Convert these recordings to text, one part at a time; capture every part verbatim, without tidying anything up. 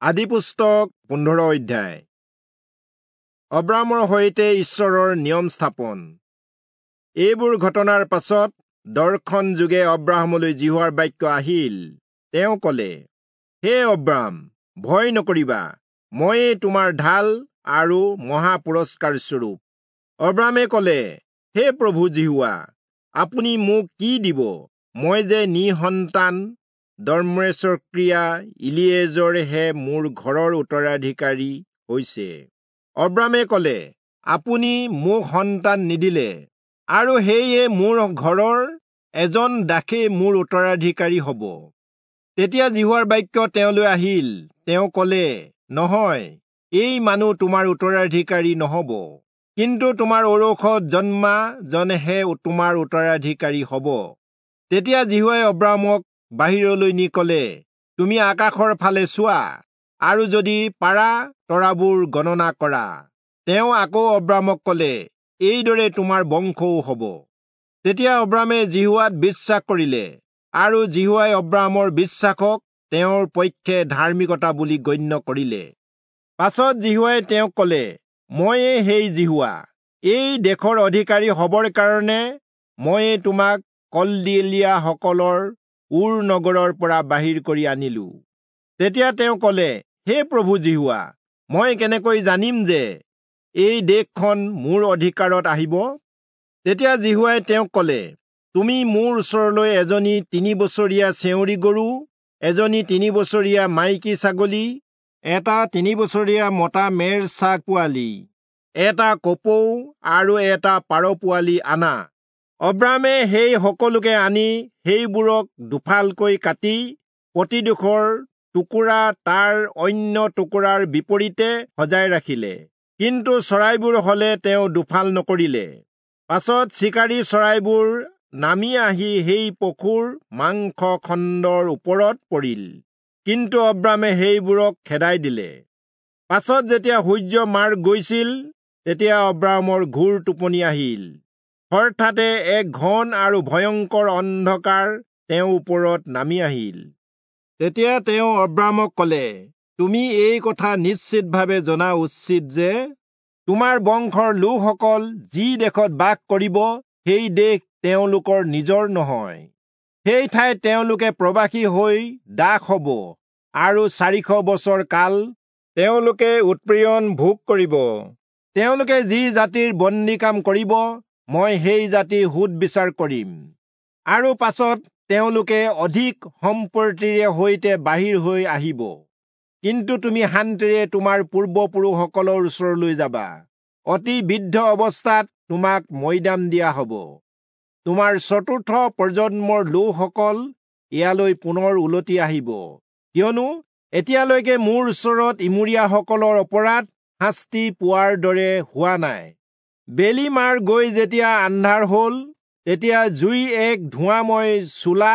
আদিপুস্তক পোন্ধৰ অধ্যায়। অব্ৰাহামৰ সৈতে ঈশ্বৰৰ নিয়ম স্থাপন। এইবোৰ ঘটনাৰ পাছত দৰ্শন যোগে অব্ৰাহামলৈ যিহোৱাৰ বাক্য আহিল। তেওঁ কলে, হে অব্ৰাহাম, ভয় নকৰিবা, ময়ে তোমাৰ ঢাল আৰু মহা পুৰস্কাৰ স্বৰূপ। অব্ৰাহামে কলে, হে প্ৰভু যিহোৱা, আপুনি মোক কি দিব? মই যে নিঃসন্তান, দম্মেচক্ৰিয়া ইলিয়েজৰহে মোৰ ঘৰৰ উত্তৰাধিকাৰী হৈছে। অব্ৰাহামে কলে, আপুনি মোক সন্তান নিদিলে, আৰু সেয়ে মোৰ ঘৰৰ এজন দাসেই মোৰ উত্তৰাধিকাৰী হ'ব। তেতিয়া যিহোৱাৰ বাক্য তেওঁলৈ আহিল। তেওঁ কলে, নহয়, এই মানুহ তোমাৰ উত্তৰাধিকাৰী নহ'ব, কিন্তু তোমাৰ ঔৰসত জন্মা জনহে তোমাৰ উত্তৰাধিকাৰী হ'ব। তেতিয়া যিহোৱাই অব্ৰাহামক বাহিৰলৈ নি কলে, তুমি আকাশৰ ফালে চোৱা, আৰু যদি পাৰা তৰাবোৰ গণনা কৰা। তেওঁ আকৌ অব্ৰাহামক কলে, এইদৰে তোমাৰ বংশও হ'ব। তেতিয়া অব্ৰাহামে যিহোৱাত বিশ্বাস কৰিলে, আৰু যিহোৱাই অব্ৰাহামৰ বিশ্বাসক তেওঁৰ পক্ষে ধাৰ্মিকতা বুলি গণ্য কৰিলে। পাছত যিহোৱাই তেওঁক কলে, ময়ে সেই যিহোৱা, এই দেশৰ অধিকাৰী হ'বৰ কাৰণে ময়ে তোমাক কলদিলীয়াসকলৰ ঊৰ নগৰৰ পৰা বাহিৰ কৰি আনিলো। তেতিয়া তেওঁ কলে, হে প্ৰভু যিহোৱা, মই কেনেকৈ জানিম যে এই দেশখন মোৰ অধিকাৰত আহিব? তেতিয়া যিহোৱাই তেওঁক কলে, তুমি মোৰ ওচৰলৈ এজনী তিনি বছৰীয়া চেউৰী গৰু, এজনী তিনি বছৰীয়া মাইকী ছাগলী, এটা তিনি বছৰীয়া মতা মেৰ ছাগ পোৱালি, এটা কপৌ আৰু এটা পাৰ পোৱালি আনা। অব্ৰাহামে সেই সকলোকে আনি সেইবোৰক দুফালকৈ কাটি প্ৰতিডোখৰ টুকুৰা তাৰ অন্য টুকুৰাৰ বিপৰীতে সজাই ৰাখিলে, কিন্তু চৰাইবোৰ হলে তেওঁ দুফাল নকৰিলে। পাছত চিকাৰী চৰাইবোৰ নামি আহি সেই পশুৰ মাংস খণ্ডৰ ওপৰত পৰিল, কিন্তু অব্ৰাহামে সেইবোৰক খেদাই দিলে। পাছত যেতিয়া সূৰ্য মাৰ গৈছিল, তেতিয়া অব্ৰাহামৰ ঘোৰ টোপনি আহিল। হঠাতে এক ঘন আৰু ভয়ংকৰ অন্ধকাৰ তেওঁৰ ওপৰত নামি আহিল। তেতিয়া তেওঁ অব্ৰাহামক কলে, তুমি এই কথা নিশ্চিতভাৱে জনা উচিত যে তোমাৰ বংশৰ লোকসকল যি দেশত বাস কৰিব, সেই দেশ তেওঁলোকৰ নিজৰ নহয়। সেই ঠাইত তেওঁলোকে প্ৰবাসী হৈ দাস হ'ব, আৰু চাৰিশ বছৰ কাল তেওঁলোকে উৎপীড়ন ভোগ কৰিব। তেওঁলোকে যি জাতিৰ বন্দী কাম কৰিব, মই সেই জাতি সোধ বিচাৰ কৰিম, আৰু পাছত তেওঁলোকে অধিক সম্পত্তিৰে সৈতে বাহিৰ হৈ আহিব। কিন্তু তুমি শান্তিৰে তোমাৰ পূৰ্বপুৰুষসকলৰ ওচৰলৈ যাবা। অতি বৃদ্ধ অৱস্থাত তোমাক মৈদাম দিয়া হ'ব। তোমাৰ চতুৰ্থ প্ৰজন্মৰ লোকসকল ইয়ালৈ পুনৰ উলটি আহিব, কিয়নো এতিয়ালৈকে মোৰ ওচৰত ইমূৰীয়াসকলৰ অপৰাধ শাস্তি পোৱাৰ দৰে হোৱা নাই। বেলি মাৰ গৈ যেতিয়া আন্ধাৰ হ'ল, তেতিয়া জুই এক ধোঁৱাময় চোলা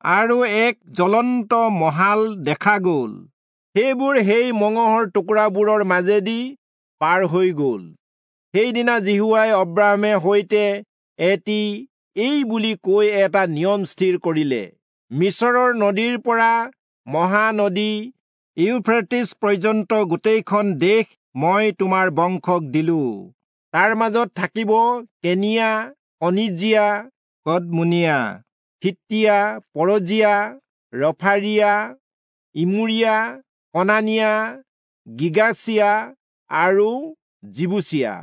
আৰু এক জ্বলন্ত মহাল দেখা গ'ল। সেইবোৰ সেই মঙহৰ টুকুৰাবোৰৰ মাজেদি পাৰ হৈ গ'ল। সেইদিনা যিহোৱাই অব্ৰাহামে সৈতে এটি এই বুলি কৈ এটা নিয়ম স্থিৰ কৰিলে, মিচৰৰ নদীৰ পৰা মহানদী ইউফ্ৰেটিছ পৰ্যন্ত গোটেইখন দেশ মই তোমাৰ বংশক দিলো। তাৰ মাজত থাকিব কেনিয়া, কনিজিয়া, কদমোনীয়া, হিত্তীয়া, পৰজীয়া, ৰফাৰীয়া, ইমূৰীয়া, কনানীয়া, গিৰ্গাচীয়া আৰু যিবূচীয়া।